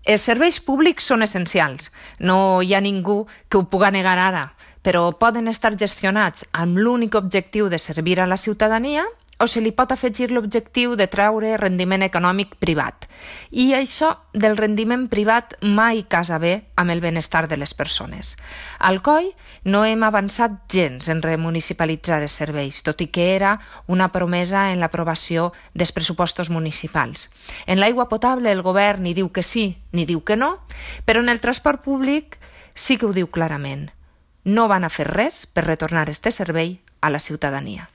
Els serveis públics són essencials. No hi ha ningú que ho puga negar ara, però poden estar gestionats amb l'únic objectiu de servir a la ciutadania o se li pot afegir l'objectiu de treure rendiment econòmic privat. I això del rendiment privat mai casa bé amb el benestar de les persones. Al COI no hem avançat gens en remunicipalitzar els serveis, tot i que era una promesa en l'aprovació dels pressupostos municipals. En l'aigua potable el govern ni diu que sí ni diu que no, però en el transport públic sí que ho diu clarament. No van a fer res per retornar este servei a la ciutadania.